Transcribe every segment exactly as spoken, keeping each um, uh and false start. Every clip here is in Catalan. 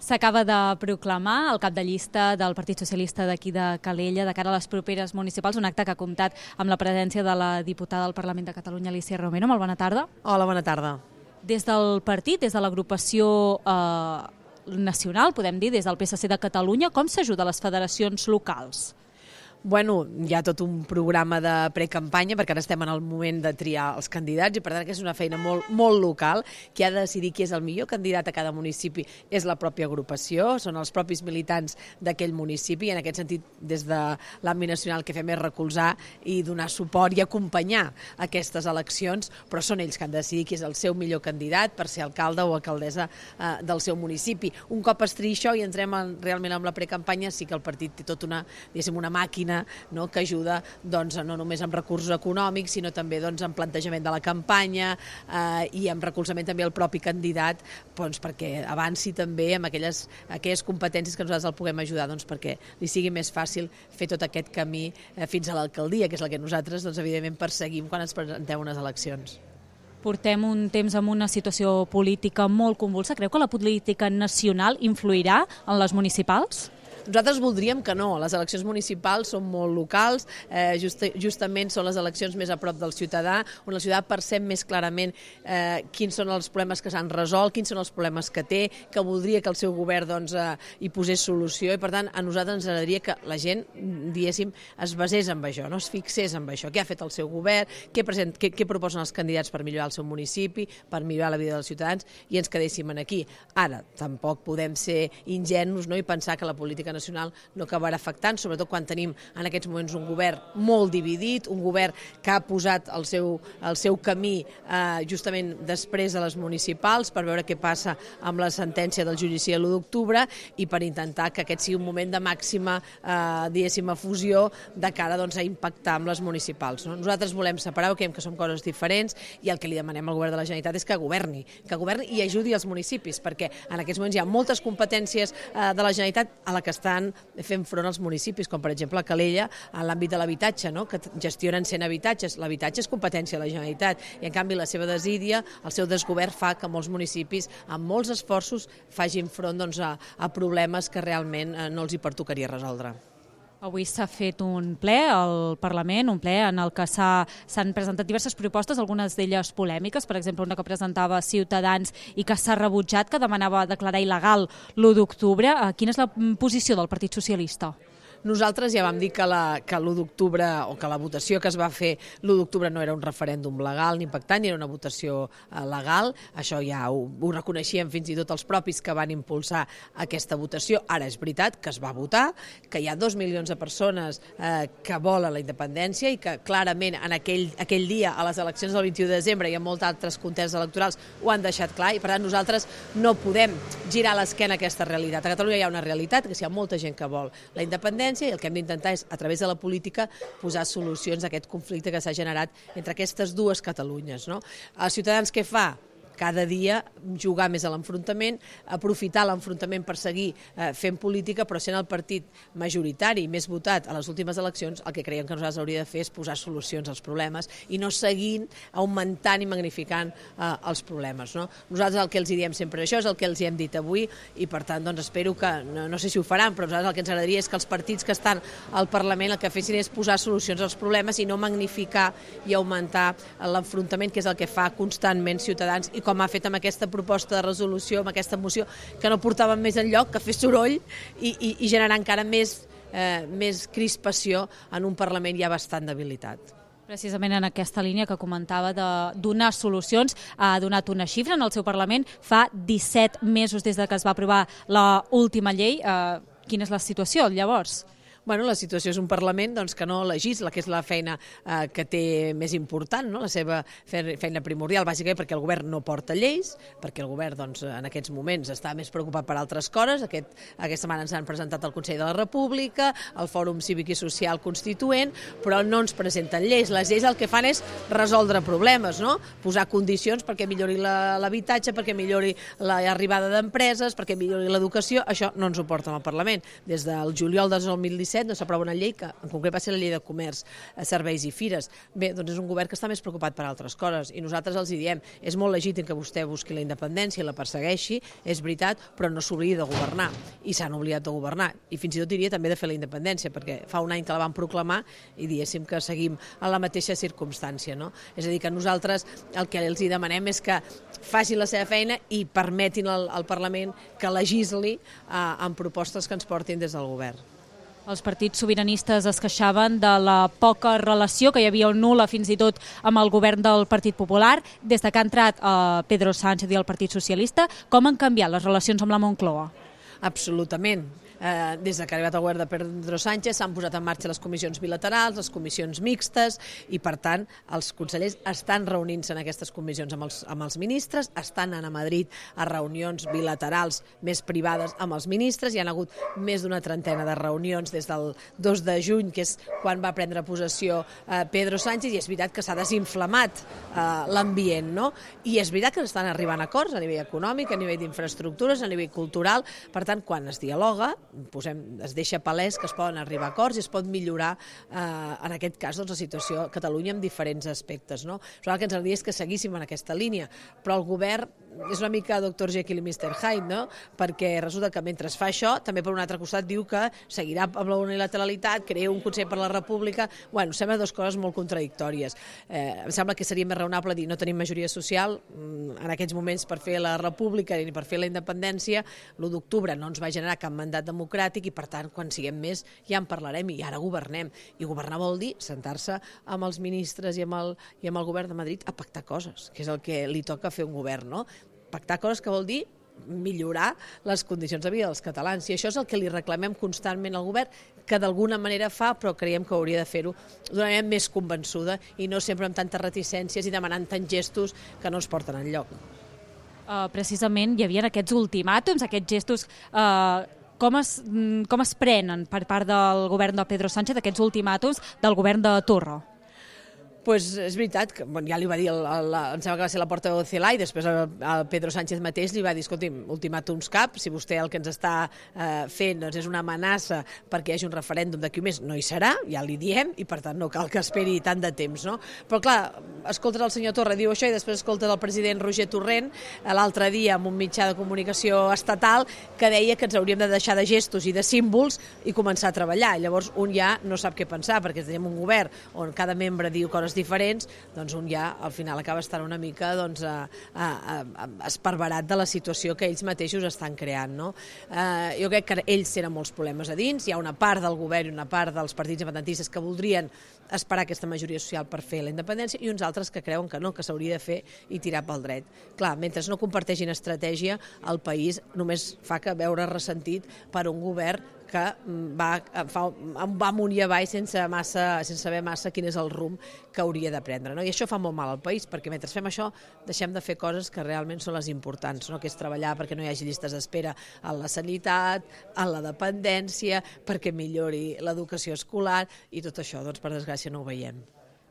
S'acaba de proclamar el cap de llista del Partit Socialista d'aquí de Calella de cara a les properes municipals, un acte que ha comptat amb la presència de la diputada del Parlament de Catalunya, Alícia Romero. Molt bona tarda. Hola, bona tarda. Des del partit, des de l'agrupació eh, nacional, podem dir, des del P S C de Catalunya, com s'ajuda a les federacions locals? Bueno, hi ha tot un programa de precampanya perquè ara estem en el moment de triar els candidats i per tant que és una feina molt, molt local. Qui ha de decidir qui és el millor candidat a cada municipi és la pròpia agrupació, són els propis militants d'aquell municipi i en aquest sentit des de l'àmbit nacional que fem és recolzar i donar suport i acompanyar aquestes eleccions, però són ells que han de decidir qui és el seu millor candidat per ser alcalde o alcaldessa eh, del seu municipi. Un cop es triï això i entrem en, realment amb la precampanya, sí que el partit té tota una, diguéssim, una màquina no, que ajuda doncs, no només amb recursos econòmics, sinó també doncs, amb plantejament de la campanya eh, i amb recolzament també al propi candidat doncs, perquè avanci també amb aquelles, aquelles competències que nosaltres el puguem ajudar doncs, perquè li sigui més fàcil fer tot aquest camí eh, fins a l'alcaldia, que és la que nosaltres doncs, evidentment perseguim quan ens presentem unes eleccions. Portem un temps amb una situació política molt convulsa. Creu que la política nacional influirà en les municipals? Nosaltres voldríem que no, les eleccions municipals són molt locals, eh, just, justament són les eleccions més a prop del ciutadà, on el ciutadà percep més clarament eh, quins són els problemes que s'han resolt, quins són els problemes que té, que voldria que el seu govern doncs, eh, hi posés solució i per tant a nosaltres ens agradaria que la gent, diguéssim, es basés en això, no es fixés en això, què ha fet el seu govern, què, present, què, què proposen els candidats per millorar el seu municipi, per millorar la vida dels ciutadans i ens quedéssim aquí. Ara, tampoc podem ser ingenus no, i pensar que la política nacional no acabarà afectant, sobretot quan tenim en aquests moments un govern molt dividit, un govern que ha posat el seu, el seu camí eh, justament després de les municipals per veure què passa amb la sentència del judici de l'u d'octubre i per intentar que aquest sigui un moment de màxima eh, diguéssim, fusió de cara doncs, a impactar amb les municipals. No? Nosaltres volem separar, creiem que són coses diferents i el que li demanem al govern de la Generalitat és que governi, que governi i ajudi els municipis, perquè en aquests moments hi ha moltes competències eh, de la Generalitat a la que estan fent front als municipis, com per exemple a Calella, en l'àmbit de l'habitatge, no? que gestionen cent habitatges. L'habitatge és competència de la Generalitat i en canvi la seva desídia, el seu desgovern fa que molts municipis amb molts esforços facin front doncs, a, a problemes que realment eh, no els hi pertocaria resoldre. Avui s'ha fet un ple al Parlament, un ple en el que s'han presentat diverses propostes, algunes d'elles polèmiques, per exemple una que presentava Ciutadans i que s'ha rebutjat, que demanava declarar il·legal l'u d'octubre. Quina és la posició del Partit Socialista? Nosaltres ja vam dir que la, que l'u d'octubre o que la votació que es va fer l'u d'octubre no era un referèndum legal ni impactant, ni era una votació eh, legal. Això ja ho, ho reconeixien fins i tot els propis que van impulsar aquesta votació. Ara és veritat que es va votar, que hi ha dos milions de persones eh, que volen la independència i que clarament en aquell, aquell dia, a les eleccions del vint-i-u de desembre i en molts altres contests electorals ho han deixat clar i per tant nosaltres no podem girar l'esquena a aquesta realitat. A Catalunya hi ha una realitat, que hi ha molta gent que vol la independència i el que hem d'intentar és, a través de la política, posar solucions a aquest conflicte que s'ha generat entre aquestes dues Catalunyes. No? Els ciutadans què fa? Cada dia jugar més a l'enfrontament, aprofitar l'enfrontament per seguir eh, fent política, però sent el partit majoritari i més votat a les últimes eleccions, el que creiem que nosaltres hauria de fer és posar solucions als problemes i no seguint augmentant i magnificant eh, els problemes. No? Nosaltres el que els diem sempre això és el que els hem dit avui i per tant doncs, espero que, no, no sé si ho faran, però nosaltres el que ens agradaria és que els partits que estan al Parlament el que fessin és posar solucions als problemes i no magnificar i augmentar l'enfrontament, que és el que fa constantment Ciutadans i com ha fet amb aquesta proposta de resolució, amb aquesta moció, que no portàvem més enlloc, que fer soroll i, i, i generar encara més, eh, més crispació en un Parlament ja bastant debilitat. Precisament en aquesta línia que comentava de donar solucions, ha donat una xifra en el seu Parlament fa disset mesos des de que es va aprovar l'última llei. Eh, quina és la situació llavors? Bueno, la situació és un Parlament doncs, que no legisla, que és la feina eh, que té més important, no? La seva feina primordial, bàsicament perquè el govern no porta lleis, perquè el govern doncs, en aquests moments està més preocupat per altres coses. Aquest, aquesta setmana ens han presentat al Consell de la República, el Fòrum Cívic i Social Constituent, però no ens presenten lleis. Les lleis el que fan és resoldre problemes, no? Posar condicions perquè millori l'habitatge, perquè millori l'arribada d'empreses, perquè millori l'educació. Això no ens ho porta al Parlament. Des del juliol del dos mil disset set no s'aprova una llei que en concret va ser la llei de comerç, serveis i fires. Bé, doncs és un govern que està més preocupat per altres coses i nosaltres els hi diem, és molt legítim que vostè busqui la independència i la persegueixi, és veritat, però no s'oblidi de governar i s'han oblidat de governar i fins i tot diria també de fer la independència perquè fa un any que la van proclamar i diguéssim que seguim en la mateixa circumstància, no? És a dir, que nosaltres el que els hi demanem és que facin la seva feina i permetin al, al Parlament que legisli eh, amb propostes que ens portin des del govern. Els partits sobiranistes es queixaven de la poca relació que hi havia, nul·la fins i tot amb el govern del Partit Popular. Des de que ha entrat eh, Pedro Sánchez i el Partit Socialista, com han canviat les relacions amb la Moncloa? Absolutament. Eh, des que ha arribat el govern de Pedro Sánchez s'han posat en marxa les comissions bilaterals, les comissions mixtes i, per tant, els consellers estan reunint-se en aquestes comissions amb els, amb els ministres, estan anant a Madrid a reunions bilaterals més privades amb els ministres, hi ha hagut més d'una trentena de reunions des del dos de juny, que és quan va prendre possessió eh, Pedro Sánchez, i és veritat que s'ha desinflamat eh, l'ambient, no? I és veritat que estan arribant a acords a nivell econòmic, a nivell d'infraestructures, a nivell cultural, per tant, quan es dialoga, posem, es deixa palès que es poden arribar a acords i es pot millorar, eh, en aquest cas, doncs, la situació a Catalunya en diferents aspectes, no? Però el que ens agradaria és que seguíssim en aquesta línia, però el govern és una mica doctor Jekyll i mister Hyde, no? Perquè resulta que mentre fa això, també per un altre costat diu que seguirà amb la unilateralitat, crea un Consell per la República. Bueno, sembla dues coses molt contradictòries. Eh, em sembla que seria més raonable dir no tenim majoria social en aquests moments per fer la República ni per fer la independència. l'u d'octubre no ens va generar cap mandat democràtic i, per tant, quan siguem més ja en parlarem i ara governem. I governar vol dir sentar-se amb els ministres i amb el, i amb el govern de Madrid a pactar coses, que és el que li toca fer un govern, no? Pactar coses que vol dir millorar les condicions de vida dels catalans, i això és el que li reclamem constantment al govern, que d'alguna manera fa, però creiem que hauria de fer-ho d'una manera més convençuda i no sempre amb tantes reticències i demanant tants gestos que no ens porten enlloc. Uh, precisament hi havia aquests ultimàtums, aquests gestos... Uh, com, es, com es prenen per part del govern de Pedro Sánchez aquests ultimàtums del govern de Torra? Pues és veritat, que bueno, ja li va dir, el, el, em sembla que va ser la porta de Celà, i després el, el Pedro Sánchez mateix li va dir, escolti'm, ultimàtums cap, si vostè el que ens està eh, fent doncs, és una amenaça perquè hi hagi un referèndum d'aquí un mes, no hi serà, ja li diem, i per tant no cal que esperi tant de temps, no? Però clar, escoltes el senyor Torra diu això i després escoltes el president Roger Torrent l'altre dia en un mitjà de comunicació estatal que deia que ens hauríem de deixar de gestos i de símbols i començar a treballar. Llavors un ja no sap què pensar, perquè tenim un govern on cada membre diu coses diferents, doncs un ja al final acaba estant una mica doncs, a, a, a, esparverat de la situació que ells mateixos estan creant, no? Eh, jo crec que ells tenen molts problemes a dins, hi ha una part del govern i una part dels partits independentistes que voldrien esperar aquesta majoria social per fer la independència i uns altres que creuen que no, que s'hauria de fer i tirar pel dret. Clar, mentre no comparteixin estratègia, el país només fa que veure ressentit per un govern que va, fa, va amunt i avall sense, massa, sense saber massa quin és el rumb que hauria de prendre, no? I això fa molt mal al país, perquè mentre fem això deixem de fer coses que realment són les importants, no? Que és treballar perquè no hi hagi llistes d'espera en la sanitat, en la dependència, perquè millori l'educació escolar, i tot això, doncs, per desgràcia, no ho veiem.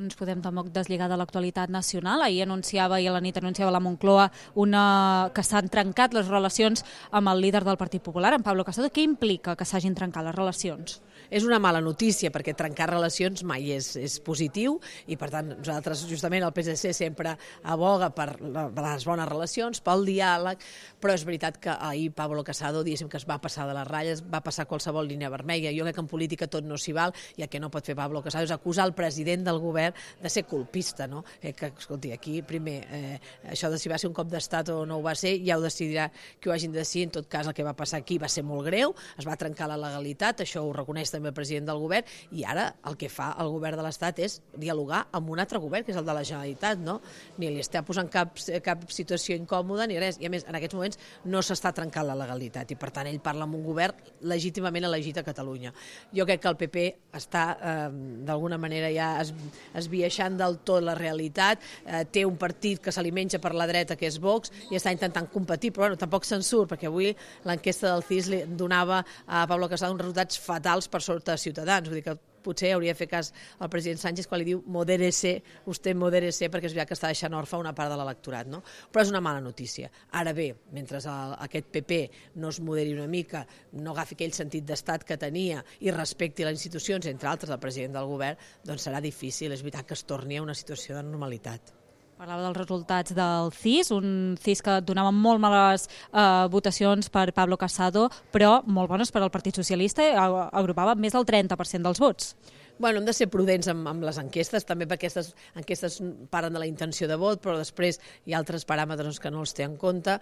No ens podem tampoc deslligar de l'actualitat nacional. Ahir anunciava, i a la nit anunciava la Moncloa, una, que s'han trencat les relacions amb el líder del Partit Popular, en Pablo Casado. Què implica que s'hagin trencat les relacions? És una mala notícia, perquè trencar relacions mai és, és positiu, i per tant nosaltres, justament el P S C sempre aboga per les bones relacions, pel diàleg, però és veritat que ahir Pablo Casado, diguéssim que es va passar de les ratlles, va passar qualsevol línia vermella. Jo crec que en política tot no s'hi val, i el que no pot fer Pablo Casado és acusar el president del govern de ser colpista, no? Eh, que, escolti, aquí, primer, eh, això de si va ser un cop d'estat o no ho va ser, ja ho decidirà qui ho hagin de decidir. En tot cas, el que va passar aquí va ser molt greu, es va trencar la legalitat, això ho reconeix també el president del govern, i ara el que fa el govern de l'Estat és dialogar amb un altre govern, que és el de la Generalitat, no? Ni li està posant cap, cap situació incòmoda ni res, i a més, en aquests moments no s'està trencant la legalitat, i per tant ell parla amb un govern legítimament elegit a Catalunya. Jo crec que el P P està, eh, d'alguna manera, ja es, esbiaixant del tot la realitat, eh, té un partit que se li menja per la dreta, que és Vox, i està intentant competir, però bueno, tampoc se'n surt, perquè avui l'enquesta del C I S li donava a Pablo Casado uns resultats fatals per sota de Ciutadans, vull dir que potser hauria de fer cas al president Sánchez quan li diu modérese, usted modérese, perquè és veritat que està deixant orfa una part de l'electorat, no? Però és una mala notícia. Ara bé, mentre el, aquest P P no es moderi una mica, no agafi aquell sentit d'estat que tenia i respecti les institucions, entre altres el president del govern, doncs serà difícil, és veritat que es torni a una situació de normalitat. Parlava dels resultats del C I S, un C I S que donava molt males eh, votacions per Pablo Casado, però molt bones per al Partit Socialista, agrupava més del trenta per cent dels vots. Bueno, hem de ser prudents amb, amb les enquestes, també perquè aquestes enquestes parlen de la intenció de vot, però després hi ha altres paràmetres que no els té en compte.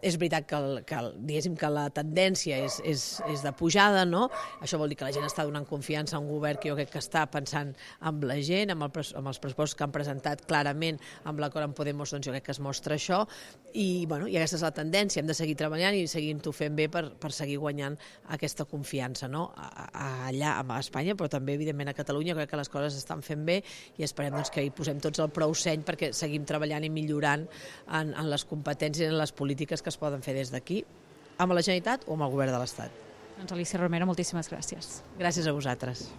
És veritat que, el, que, el, diguéssim que la tendència és, és, és de pujada, no? Això vol dir que la gent està donant confiança a un govern que jo crec que està pensant en la gent, amb, el, amb els pressupostos que han presentat clarament amb l'acord amb Podemos, doncs jo crec que es mostra això, i, bueno, i aquesta és la tendència, hem de seguir treballant i seguir-ho fent bé per, per seguir guanyant aquesta confiança, no? A, a, allà a Espanya, però també evidentment a Catalunya. Crec que les coses estan fent bé i esperem doncs, que hi posem tots el prou seny perquè seguim treballant i millorant en, en les competències i en les polítiques que es poden fer des d'aquí, amb la Generalitat o amb el Govern de l'Estat. Doncs Alícia Romero, moltíssimes gràcies. Gràcies a vosaltres.